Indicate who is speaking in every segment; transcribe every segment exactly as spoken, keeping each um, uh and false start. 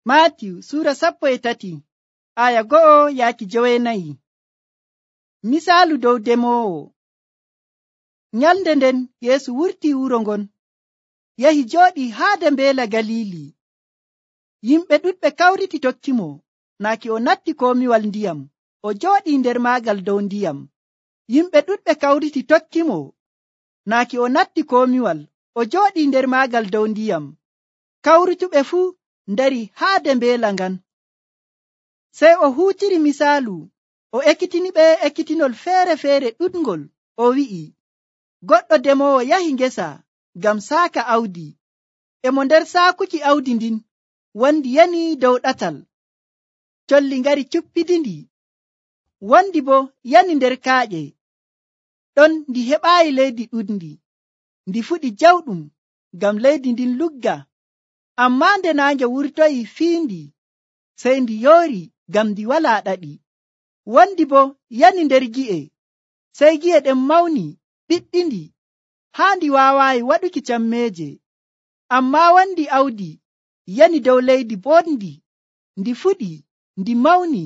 Speaker 1: Maatiyu Suura sappo e tati aya go'o yaaki jowenayi. Misaalu dow demoowo. Nyalnde nden Yeesu wurtii wuro ngon, yahi jooɗii haade mbeela Galiili. Yimɓe ɗuɗɓe kawriti tokkimo, naaki o natti komiwal ndiyam, o jooɗii nder maagal dow ndiyam. Yimɓe ɗuɗɓe kawriti tokkimo, naaki o natti komiwal, o jooɗii nder maagal dow ndiyam. Kawrutuɓe fuu ndari haade mbeela ngan. Sey o huutiri misaalu, o ekkitiniɓe ekkitinol feere-feere ɗuɗngol. O wi'i, goɗɗo demoowo yahi ngesa ngam saaka awdi. E mo nder saakuki awdi ndin, wondi yani dow ɗatal. Colli ngari cuppidindi, wondi bo yani nder kaaƴe. Ɗon ndi heɓaayi leydi ɗuɗndi, ndi fuɗi jawɗum ngam leydi ndin lugga. Ammaa nde naange wurtoyi fiindi, sey ndi yoori ngam ndi walaa ɗaɗi. Wondi bo yani nder gi'e, sey gi'e ɗen mawni ɓiɗɗindi haa ndi waawaayi waɗuki cammeeje. Ammaa wondi awdi yani dow leydi boɗndi, ndi fuɗi, ndi mawni,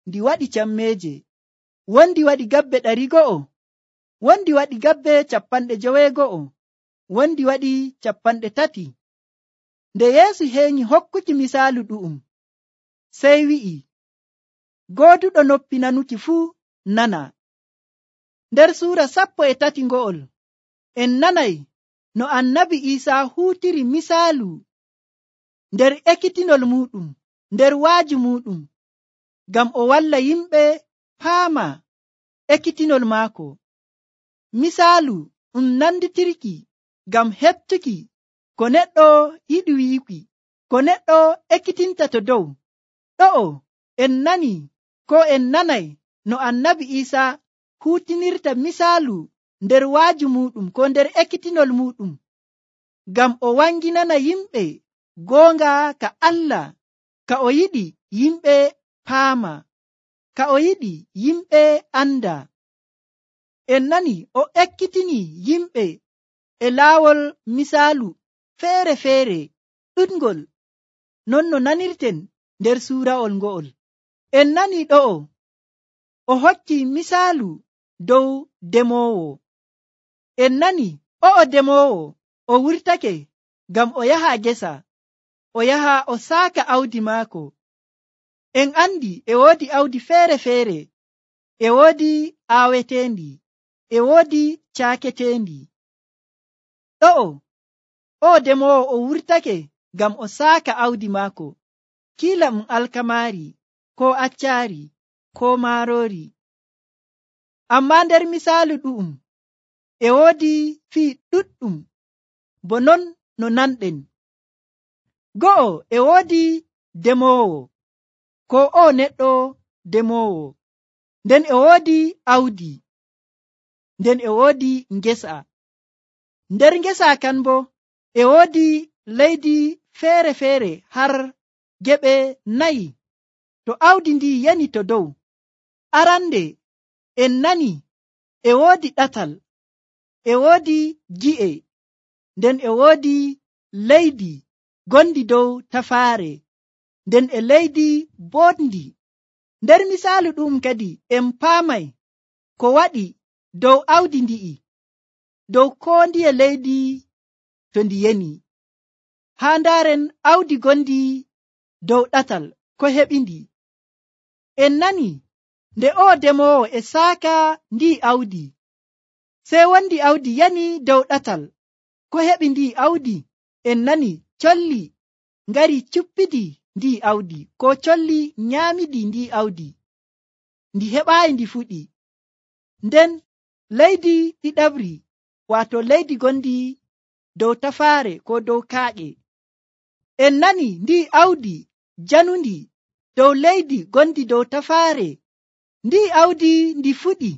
Speaker 1: ndi waɗi cammeeje. Wondi waɗi gabbe ɗari go'o, wondi waɗi gabbe capanɗe joweego'o, wondi waɗi capanɗe tati. Nde Yeesu heeñi hokkuki misaalu ɗu'um, sey wi'i, gooduɗo noppi nanuki fuu nana. Nder suura sappo e tati ngo'ol, en nanay no annabi Iisaa huutiri misaalu nder ekkitinol muɗum, nder waaju muɗum, ngam o walla yimɓe paama ekkitinol maako. Misaalu ɗum nanditirki ngam heɓtuki ko neɗɗo yiɗi wiiki, ko neɗɗo ekkitinta to dow. Ɗo'o en nani ko en nanay no annabi Iisaa huutinirta misaalu nder waaju muɗum ko nder ekkitinol muɗum, ngam o wanginana yimɓe goonga ka Allah, ka o yiɗi yimɓe paama, ka o yiɗi yimɓe anda. En nani o ekkitini yimɓe e laawol misaalu feere-feere ɗuɗngol, non no nanirten nder suura'ol ngo'ol. En nani ɗo'o o hokki misaalu dow demoowo. En nani o'o demoowo o wurtake ngam o yaha gesa, o yaha o saaka awdi maako. En andi e woodi awdi feere-feere, e woodi aaweteendi, e woodi caaketeendi. Ɗo'o o demoowo o wurtake ngam o saaka awdi maako, kiila ɗum alkamaari, ko accaari, ko maaroori. Ammaa nder misaalu ɗu'um e woodi fii ɗuɗɗum bo non no nanɗen. Go'o e woodi demoowo, ko o neɗɗo demoowo, nden e woodi awdi, nden e woodi ngesa. Nder ngesa kan bo e woodi leydi feere-feere har geɓe nayi. To awdi ndi yani to dow, arande en nani e woodi ɗatal, e woodi gi'e, nden e woodi leydi gondi dow tafaare, nden e leydi boɗndi. Nder misaalu ɗum kadi en paamay ko waɗi dow awdi ndi'i, dow koo ndiye leydi to ndi yeni. Haa ndaaren awdi gondi dow ɗatal ko heɓindi. En nani nde o demoowo e saaka ndi awdi, sey wondi awdi yani dow ɗatal. Ko heɓi ndi awdi? En nani colli ngari cuppidi ndi awdi, ko colli nyaamidi ndi awdi, ndi heɓaayi ndi fuɗi. Nden leydi ɗiɗaɓri, waato leydi gondi dow tafaare ko dow kaaƴe, en nani ndi awdi janundi dow leydi gondi dow tafaare. Ndi awdi ndi fuɗi,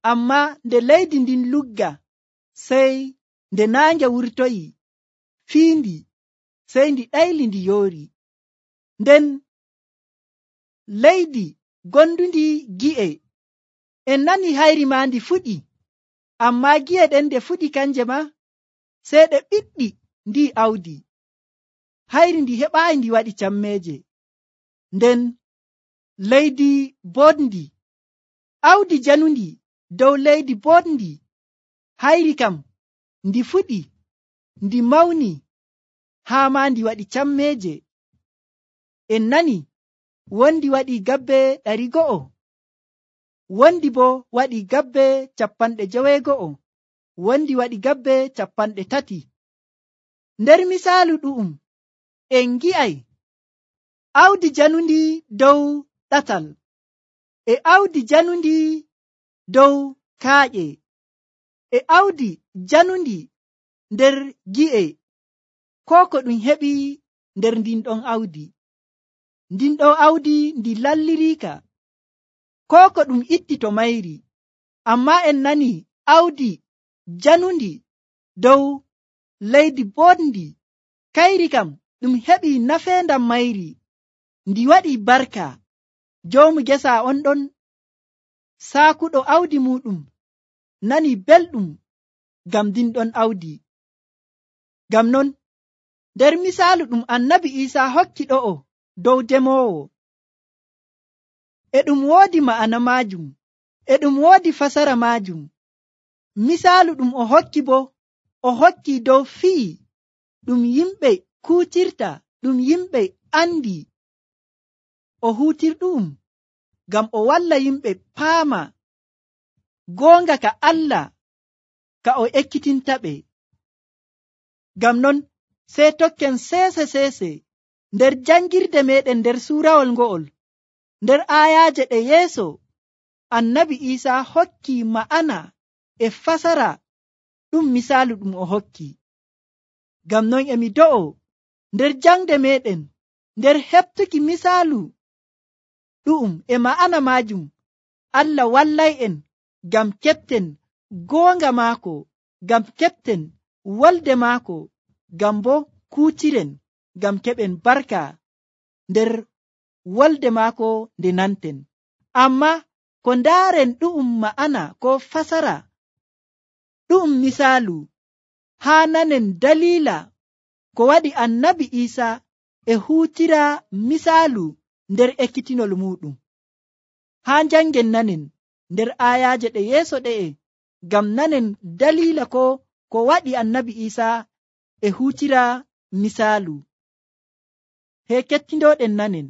Speaker 1: ammaa nde leydi ndin lugga, sey nde naange wurtoyi fiindi, sey ndi ɗayli ndi yoori. Nden leydi gondundi gi'e, en nani hayri ma ndi fuɗi, ammaa gi'e ɗen nde fuɗi kanje ma, sey ɗe ɓiɗɗi ndi awdi. hayri ndi heɓaayi ndi waɗi cammeeje. Nden leydi boɗndi, awdi janundi dow leydi boɗndi, hayri kam ndi fuɗi, ndi mawni, haa maa ndi waɗi cammeeje. En nani wondi waɗi gabbe ɗari go'o, wondi bo waɗi gabbe capanɗe joweego'o, wondi waɗi gabbe capanɗe tati. Nder misaalu ɗu'um en gi'ay awdi janundi dow ɗatal, e awdi janundi dow kaaƴe, e awdi janundi nder gi'e, ko ko ɗum heɓi nder ndin ɗon awdi. Ndin ɗon awdi ndi lalliriika, ko ko ɗum itti to mayri. Amma en nani awdi janundi dow leydi boɗndi, kayri kam ɗum heɓi nafeendam mayri, ndi waɗi barka. Joomu gesa on ɗon saakuɗo awdi muɗum nani belɗum ngam ndin ɗon awdi. Ngam non nder misaalu ɗum annabi Iisa hokki ɗo'o dow demoowo, e ɗum woodi ma'ana maajum, e ɗum woodi fasara maajum. Misaalu ɗum o hokki bo, o hokki dow fii ɗum yimɓe kuutirta, ɗum yimɓe andi. O huutirɗum ngam o walla yimɓe paama goonga ka Allah ka o ekkitintaɓe. Ngam non sey tokken seese seese nder jangirde meɗen nder suurawol ngo'ol, nder aayaaje ɗe yeeso annabi Iisa hokki ma'ana e fasara ɗum misaalu ɗum o hokki. Ngam non emi do'o nder jangde meɗen, nder heɓtuki misaalu ɗu'um e ma'ana maajum, Allah wallay'en ngam keɓten goonga maako, ngam keɓten wolde maako, ngam bo kuutiren, ngam keɓen barka nder wolde maako nde nanten. Amma ko ndaaren ɗu'um ma'ana ko fasara ɗu'um misaalu, haa nanen daliila ko waɗi annabi Iisa e huutira misaalu nder ekkitinol muɗum. Haa jangen nanen nder aayaaje ɗe yeeso ɗe'e, ngam nanen daliila ko ko waɗi annabi Iisa e huutira misaalu. He kettindooɗen nanen